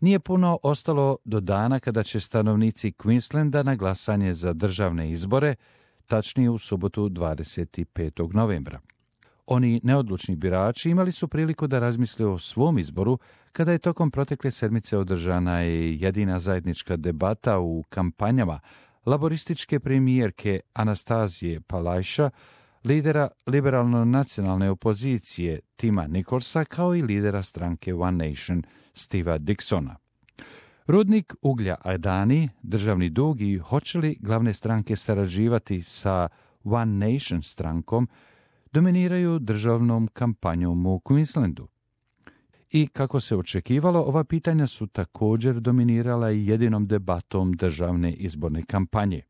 Nije puno ostalo do dana kada će stanovnici Queenslanda na glasanje za državne izbore, tačnije u subotu 25. novembra. Oni neodlučni birači imali su priliku da razmisle o svom izboru kada je tokom protekle sedmice održana i jedina zajednička debata u kampanjama laborističke premijerke Anastazije Palaszczuk, lidera liberalno-nacionalne opozicije Tima Nicholsa, kao i lidera stranke One Nation Steva Dixona. Rudnik uglja Adani, državni dug i hoće li glavne stranke sarađivati sa One Nation strankom dominiraju državnom kampanjom u Queenslandu. I kako se očekivalo, ova pitanja su također dominirala i jedinom debatom državne izborne kampanje.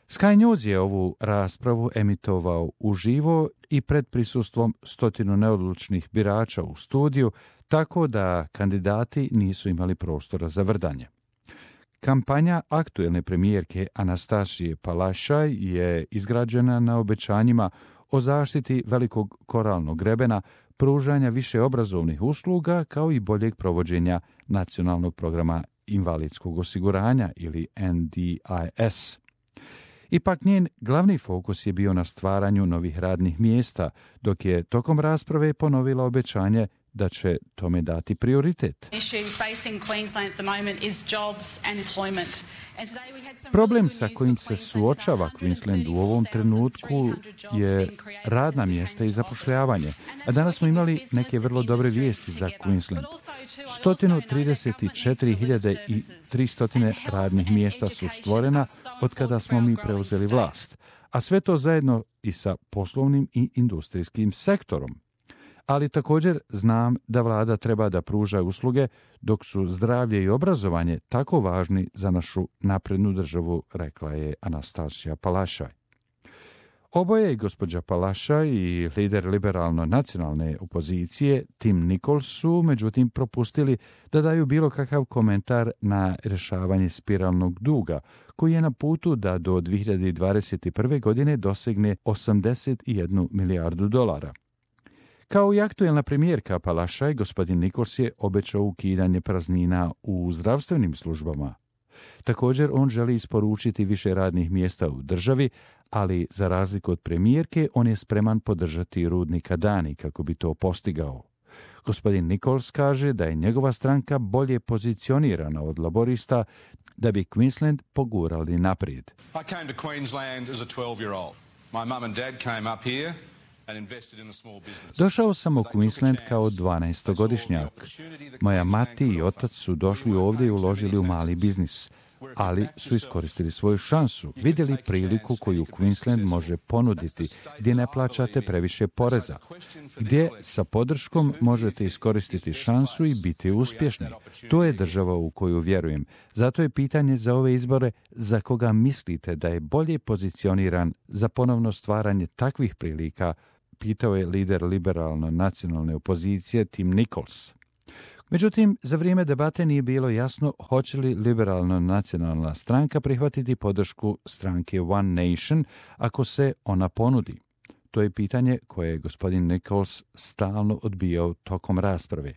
Sky News je ovu raspravu emitovao uživo i pred prisustvom 100 neodlučnih birača u studiju, tako da kandidati nisu imali prostora za vrdanje. Kampanja aktuelne premijerke Anastasije Palaszczuk je izgrađena na obećanjima o zaštiti velikog koralnog grebena, pružanja više obrazovnih usluga, kao i boljeg provođenja nacionalnog programa invalidskog osiguranja ili NDIS. Ipak njen glavni fokus je bio na stvaranju novih radnih mjesta, dok je tokom rasprave ponovila obećanje da će tome dati prioritet. Problem sa kojim se suočava Queensland u ovom trenutku je radna mjesta i zapošljavanje, a danas smo imali neke vrlo dobre vijesti za Queensland. 134.300 radnih mjesta su stvorena od kada smo mi preuzeli vlast, a sve to zajedno i sa poslovnim i industrijskim sektorom. Ali također znam da vlada treba da pruža usluge, dok su zdravlje i obrazovanje tako važni za našu naprednu državu, rekla je Anastasija Palaszczuk. Oboje, i gospođa Palaszczuk i lider liberalno-nacionalne opozicije Tim Nichols, su međutim propustili da daju bilo kakav komentar na rješavanje spiralnog duga, koji je na putu da do 2021. godine dosegne 81 milijardu dolara. Kao i aktuelna premijerka Palaszczuk, gospodin Nichols je obećao ukidanje praznina u zdravstvenim službama. Također, on želi isporučiti više radnih mjesta u državi, ali za razliku od premijerke, on je spreman podržati rudnik Adani kako bi to postigao. Gospodin Nichols kaže da je njegova stranka bolje pozicionirana od laborista da bi Queensland pogurali naprijed. I came to Queensland as a 12-year-old. My mum and dad came up here. Došao sam u Queensland kao 12-godišnjak. Moja mati i otac su došli ovdje i uložili u mali biznis, ali su iskoristili svoju šansu, vidjeli priliku koju Queensland može ponuditi, gdje ne plaćate previše poreza, gdje sa podrškom možete iskoristiti šansu i biti uspješni. To je država u koju vjerujem. Zato je pitanje za ove izbore za koga mislite da je bolje pozicioniran za ponovno stvaranje takvih prilika, pitao je lider liberalno-nacionalne opozicije Tim Nichols. Međutim, za vrijeme debate nije bilo jasno hoće li liberalno-nacionalna stranka prihvatiti podršku stranke One Nation ako se ona ponudi. To je pitanje koje je gospodin Nichols stalno odbijao tokom rasprave.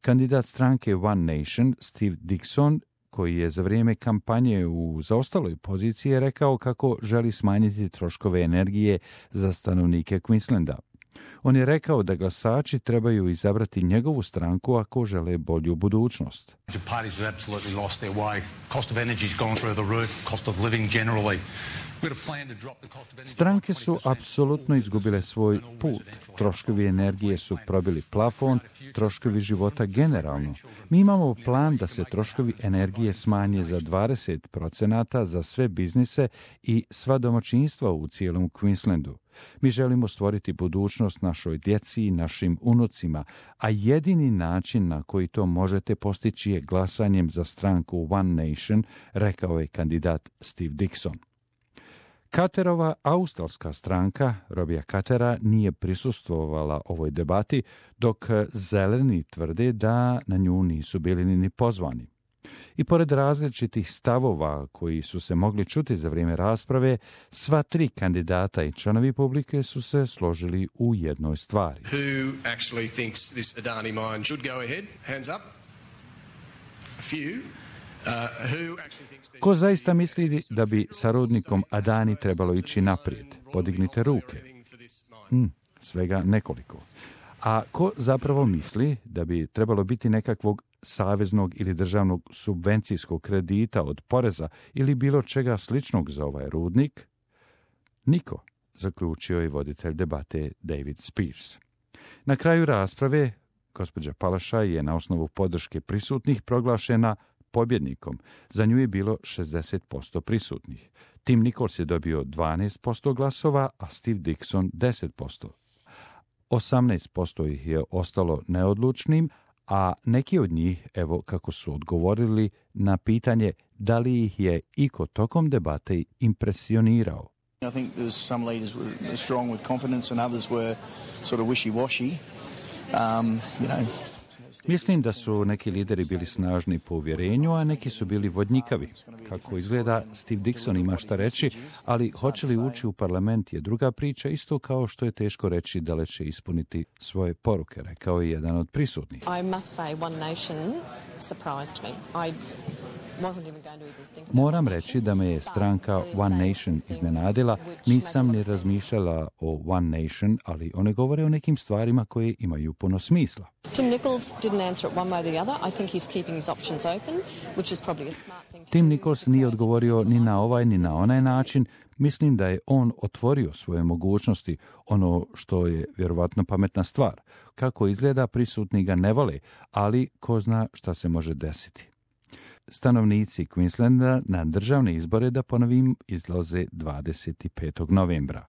Kandidat stranke One Nation, Steve Dixon, koji je za vrijeme kampanje u zaostaloj poziciji, rekao kako želi smanjiti troškove energije za stanovnike Queenslanda. On je rekao da glasači trebaju izabrati njegovu stranku ako žele bolju budućnost. Stranke su apsolutno izgubile svoj put. Troškovi energije su probili plafon, troškovi života generalno. Mi imamo plan da se troškovi energije smanje za 20% za sve biznise i sva domaćinstva u cijelom Queenslandu. Mi želimo stvoriti budućnost našoj djeci i našim unucima, a jedini način na koji to možete postići je glasanjem za stranku One Nation, rekao je kandidat Steve Dixon. Carterova australska stranka, Robija Cartera, nije prisustvovala ovoj debati, dok zeleni tvrde da na nju nisu bili ni pozvani. I pored različitih stavova koji su se mogli čuti za vrijeme rasprave, sva tri kandidata i članovi publike su se složili u jednoj stvari. Who actually thinks this Adani mine should go ahead? Hands up. Ko zaista misli da bi sa rudnikom Adani trebalo ići naprijed? Podignite ruke. Svega nekoliko. A ko zapravo misli da bi trebalo biti nekakvog saveznog ili državnog subvencijskog kredita od poreza ili bilo čega sličnog za ovaj rudnik? Niko, zaključio je voditelj debate David Spears. Na kraju rasprave, gospođa Palaszczuk je na osnovu podrške prisutnih proglašena pobjednikom. Za nju je bilo 60% prisutnih. Tim Nichols je dobio 12% glasova, a Steve Dickson 10%. 18% ih je ostalo neodlučnim, a neki od njih, evo kako su odgovorili na pitanje da li ih je iko tokom debate impresionirao. I think there's some leaders were strong with confidence and others were sort of wishy-washy. Mislim da su neki lideri bili snažni po uvjerenju, a neki su bili vodnjikavi. Kako izgleda, Steve Dickson ima šta reći, ali hoće li ući u parlament je druga priča, isto kao što je teško reći da li će ispuniti svoje poruke, rekao je jedan od prisutnih. Moram reći da me je stranka One Nation iznenadila. Nisam ni razmišljala o One Nation, ali one govore o nekim stvarima koje imaju puno smisla. Tim Nichols nije odgovorio ni na ovaj ni na onaj način. Mislim da je on otvorio svoje mogućnosti, ono što je vjerovatno pametna stvar. Kako izgleda, prisutni ga ne vole, ali ko zna šta se može desiti. Stanovnici Queenslanda na državne izbore, da ponovim, izlaze 25. novembra.